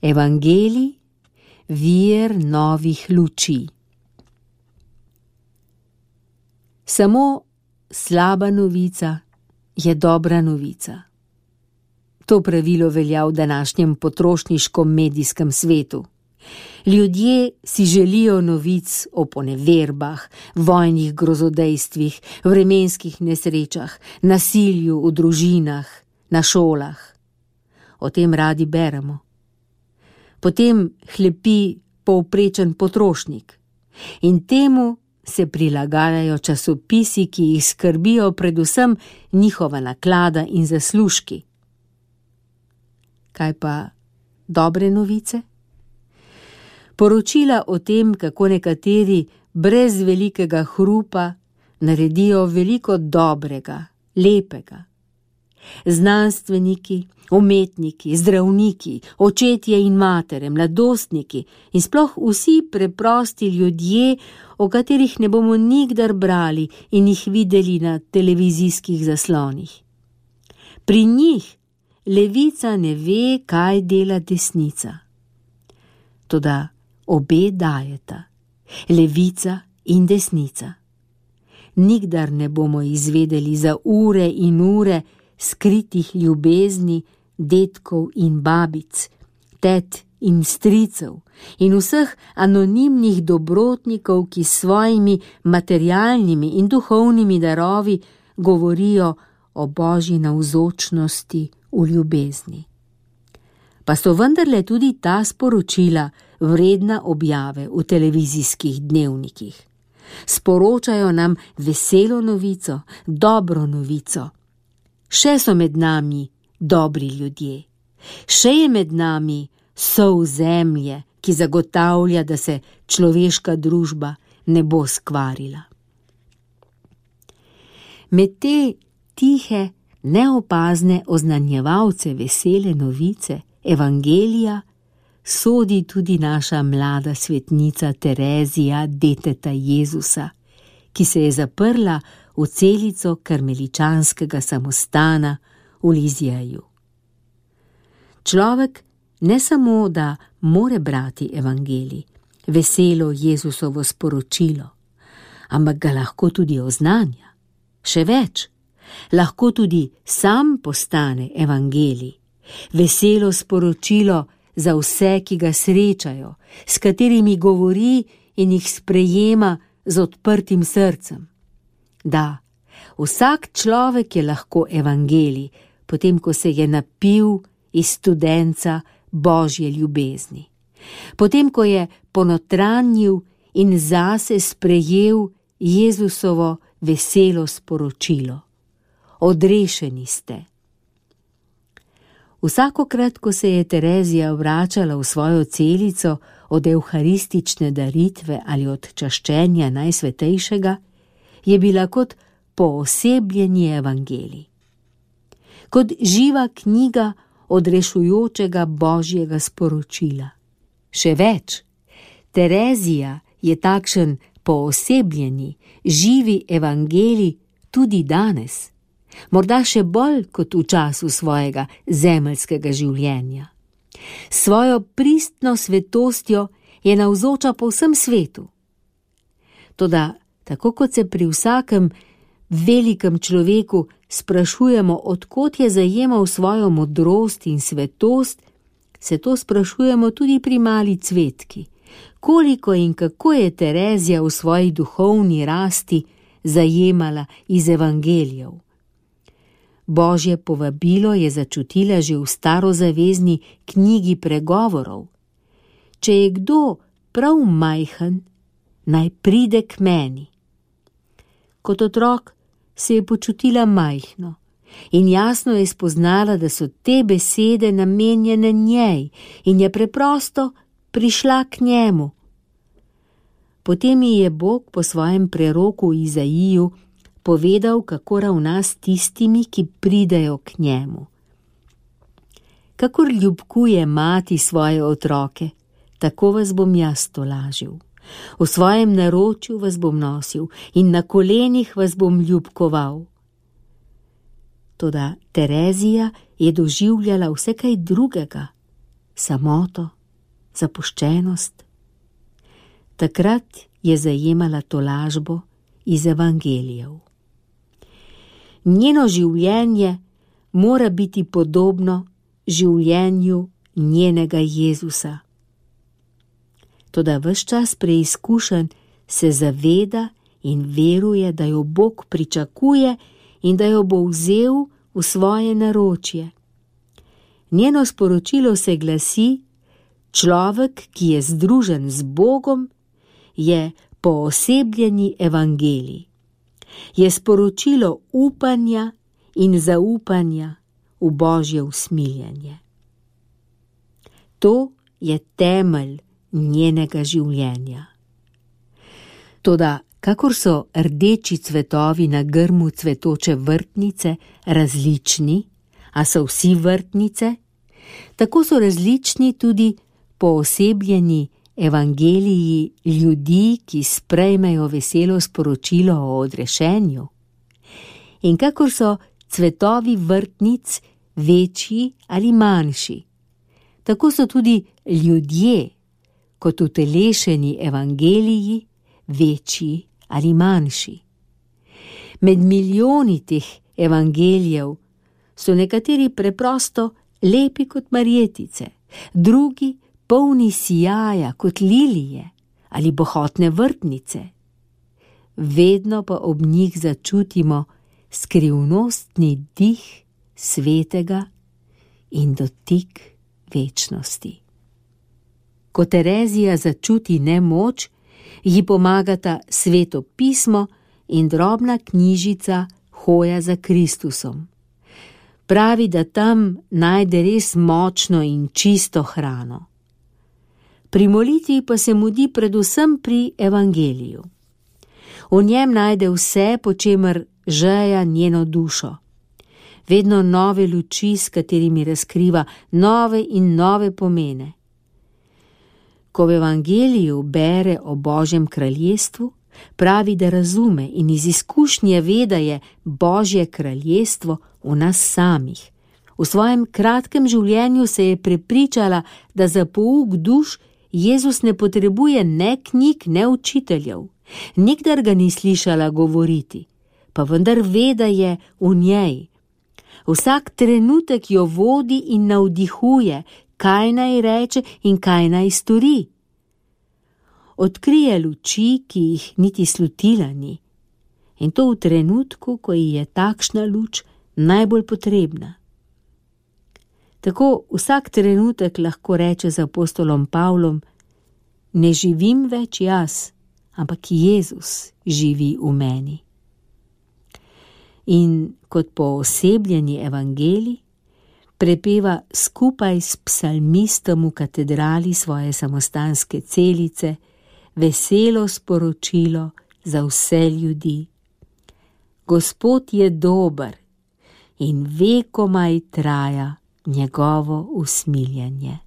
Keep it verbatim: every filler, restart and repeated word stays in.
Evangelij, vir novih luči. Samo slaba novica je dobra novica. To pravilo velja v današnjem potrošniškom medijskem svetu. Ljudje si želijo novic o poneverbah, vojnih grozodejstvih, vremenskih nesrečah, nasilju v družinah, na šolah. O tem radi beremo. Potem hlepi povprečen potrošnik in temu se prilagajajo časopisi, ki jih skrbijo predvsem njihova naklada in zaslužki. Kaj pa dobre novice? Poročila o tem, kako nekateri brez velikega hrupa naredijo veliko dobrega, lepega. Znanstveniki, umetniki, zdravniki, očetje in matere, mladostniki in sploh vsi preprosti ljudje, o katerih ne bomo nikdar brali in jih videli na televizijskih zaslonih. Pri njih levica ne ve, kaj dela desnica. Toda obe dajeta, levica in desnica. Nikdar ne bomo izvedeli za ure in ure skritih ljubezni dedkov in babic, tet in stricev in vseh anonimnih dobrotnikov, ki s svojimi materialnimi in duhovnimi darovi govorijo o Božji navzočnosti v ljubezni. Pa so vendarle tudi ta sporočila vredna objave v televizijskih dnevnikih. Sporočajo nam veselo novico, dobro novico. Še so med nami dobri ljudje. Še je med nami sol zemlje, ki zagotavlja, da se človeška družba ne bo skvarila. Med te tihe, neopazne oznanjevalce vesele novice, Evangelija, sodi tudi naša mlada svetnica Terezija deteta Jezusa, ki se je zaprla v celico karmeličanskega samostana v Lizjeju. Človek ne samo, da more brati evangelij, veselo Jezusovo sporočilo, ampak ga lahko tudi oznanja. Še več, lahko tudi sam postane evangelij, veselo sporočilo za vse, ki ga srečajo, s katerimi govori in jih sprejema z odprtim srcem. Da, vsak človek je lahko evangelij, potem ko se je napil iz studenca Božje ljubezni. Potem ko je ponotranjil in zase sprejel Jezusovo veselo sporočilo. Odrešeni ste. Vsakokrat, ko se je Terezija vračala v svojo celico od evharistične daritve ali od čaščenja Najsvetejšega, je bila kot poosebljenje evangelij. Kot živa knjiga odrešujočega Božjega sporočila. Še več, Terezija je takšen poosebljeni, živi evangelij tudi danes, morda še bolj kot v času svojega zemeljskega življenja. Svojo pristno svetostjo je navzoča po vsem svetu. Toda, tako kot se pri vsakem velikem človeku sprašujemo, od kod je zajemal svojo modrost in svetost, se to sprašujemo tudi pri mali cvetki. Koliko in kako je Terezija v svoji duhovni rasti zajemala iz evangelijev. Božje povabilo je začutila že v starozavezni knjigi pregovorov. Če je kdo prav majhen, naj pride k meni. Kot otrok se je počutila majhno in jasno je spoznala, da so te besede namenjene njej in je preprosto prišla k njemu. Potem ji je Bog po svojem preroku Izaiju povedal, kako ravna s tistimi, ki pridejo k njemu. Kakor ljubkuje mati svoje otroke, tako vas bom jaz tolažil. V svojem naročju vas bom nosil in na kolenih vas bom ljubkoval. Toda Terezija je doživljala vse kaj drugega. samoto, zapuščenost. Takrat je zajemala tolažbo iz evangelijev. Njeno življenje mora biti podobno življenju njenega Jezusa. Toda ves čas preizkušenj se zaveda in veruje, da jo Bog pričakuje in da jo bo vzel v svoje naročje. Njeno sporočilo se glasi: človek, ki je združen z Bogom, je poosebljeni evangelij. Je sporočilo upanja in zaupanja v Božje usmiljenje. To je temelj njenega življenja. Toda, kakor so rdeči cvetovi na grmu cvetoče vrtnice različni, a so vsi vrtnice, tako so različni tudi poosebljeni evangeliji ljudi, ki sprejmejo veselo sporočilo o odrešenju. In kakor so cvetovi vrtnic večji ali manjši, tako so tudi ljudje, kot utelešeni evangeliji, večji ali manjši. Med milijoni teh evangelijev so nekateri preprosto lepi kot marjetice, drugi polni sijaja kot lilije ali bohotne vrtnice. Vedno pa ob njih začutimo skrivnostni dih svetega in dotik večnosti. Ko Terezija začuti nemoč, ji pomagata Sveto pismo in drobna knjižica Hoja za Kristusom. Pravi, da tam najde res močno in čisto hrano. Pri molitvi pa se mudi predvsem pri evangeliju. V njem najde vse, po čemer žeja njeno dušo. Vedno nove luči, s katerimi razkriva nove in nove pomene. Ko v evangeliju bere o Božjem kraljestvu, pravi, da razume in iz izkušnje ve, da je Božje kraljestvo v nas samih. V svojem kratkem življenju se je prepričala, da za pouk duš Jezus ne potrebuje ne knjig, ne učiteljev. Nikdar ga ni slišala govoriti, pa vendar ve, da je v njej. Vsak trenutek jo vodi in navdihuje, kaj naj reče in kaj naj stori. Odkrije luči, ki jih niti slutila ni, in to v trenutku, ko ji je takšna luč najbolj potrebna. Tako vsak trenutek lahko reče z apostolom Pavlom: ne živim več jaz, ampak Jezus živi v meni. In kot poosebljeni evangelij prepeva skupaj s psalmistom v katedrali svoje samostanske celice veselo sporočilo za vse ljudi. Gospod je dober in vekomaj traja njegovo usmiljenje.